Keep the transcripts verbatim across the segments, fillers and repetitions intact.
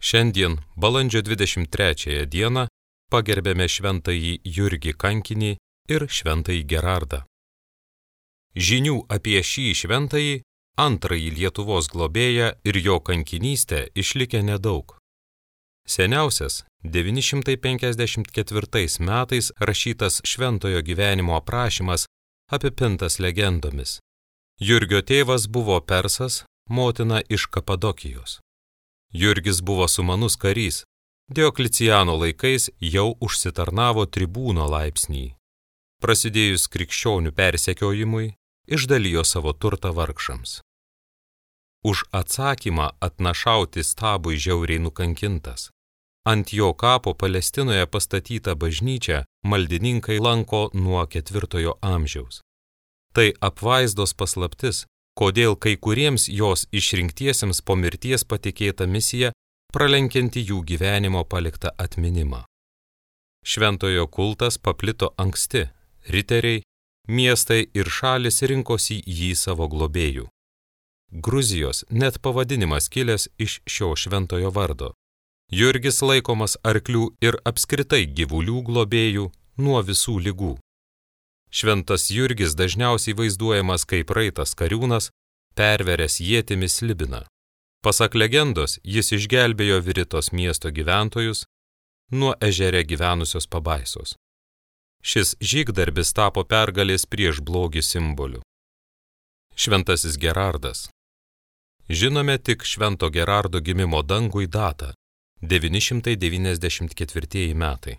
Šiandien, balandžio dvidešimt trečiąją dieną, pagerbėme šventąjį Jurgį Kankinį ir šventąjį Gerardą. Žinių apie šį šventąjį, antrąjį Lietuvos globėją ir jo kankinystę išlikę nedaug. Seniausias devyni šimtai penkiasdešimt ketvirtais metais rašytas šventojo gyvenimo aprašymas apipintas legendomis. Jurgio tėvas buvo persas, motina iš Kapadokijos. Jurgis buvo sumanus karys, Diokliciano laikais jau užsitarnavo tribūno laipsnį. Prasidėjus krikščionių persekiojimui, išdalijo savo turtą vargšams. Už atsakymą atnašauti stabui žiauriai nukankintas. Ant jo kapo Palestinoje pastatytą bažnyčią maldininkai lanko nuo ketvirtojo amžiaus. Tai apvaizdos paslaptis, kodėl kai kuriems jos išrinktiesiems po mirties patikėta misija pralenkianti jų gyvenimo paliktą atminimą. Šventojo kultas paplito anksti, riteriai, miestai ir šalis rinkosi jį savo globėjų. Gruzijos net pavadinimas kilęs iš šio šventojo vardo. Jurgis laikomas arklių ir apskritai gyvulių globėjų nuo visų ligų. Šventas Jurgis dažniausiai vaizduojamas kaip raitas kariūnas, perveręs ietimi slibiną. Pasak legendos, jis išgelbėjo Viritos miesto gyventojus nuo ežere gyvenusios pabaisos. Šis žygdarbis tapo pergalės prieš blogį simboliu. Šventasis Gerardas. Žinome tik švento Gerardo gimimo dangui datą – devyni šimtai devyniasdešimt ketvirtieji metai.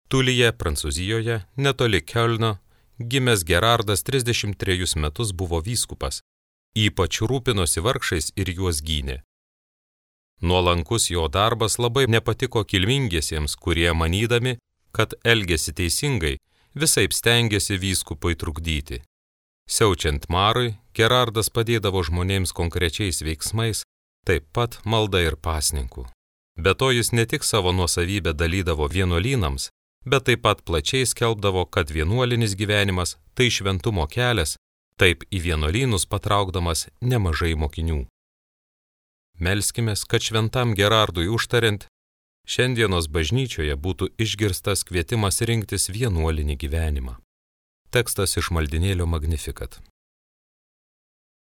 Tulyje, Prancūzijoje, netoli Kiolno, gimęs Gerardas trisdešimt trejus metus buvo vyskupas, ypač rūpinosi vargšais ir juos gynė. Nuolankus jo darbas labai nepatiko kilmingiesiems, kurie manydami, kad elgėsi teisingai, visaip stengėsi vyskupui trukdyti. Siaučiant marui, Gerardas padėdavo žmonėms konkrečiais veiksmais, taip pat malda ir pasninku. Be to jis ne tik savo nuosavybę dalydavo vienuolynams, bet taip pat plačiai skelbdavo, kad vienuolinis gyvenimas tai šventumo kelias, taip į vienuolynus patraukdamas nemažai mokinių. Melskimės, kad šventam Gerardui užtariant, šiandienos bažnyčioje būtų išgirstas kvietimas rinktis vienuolinį gyvenimą. Tekstas iš maldinėlio Magnificat.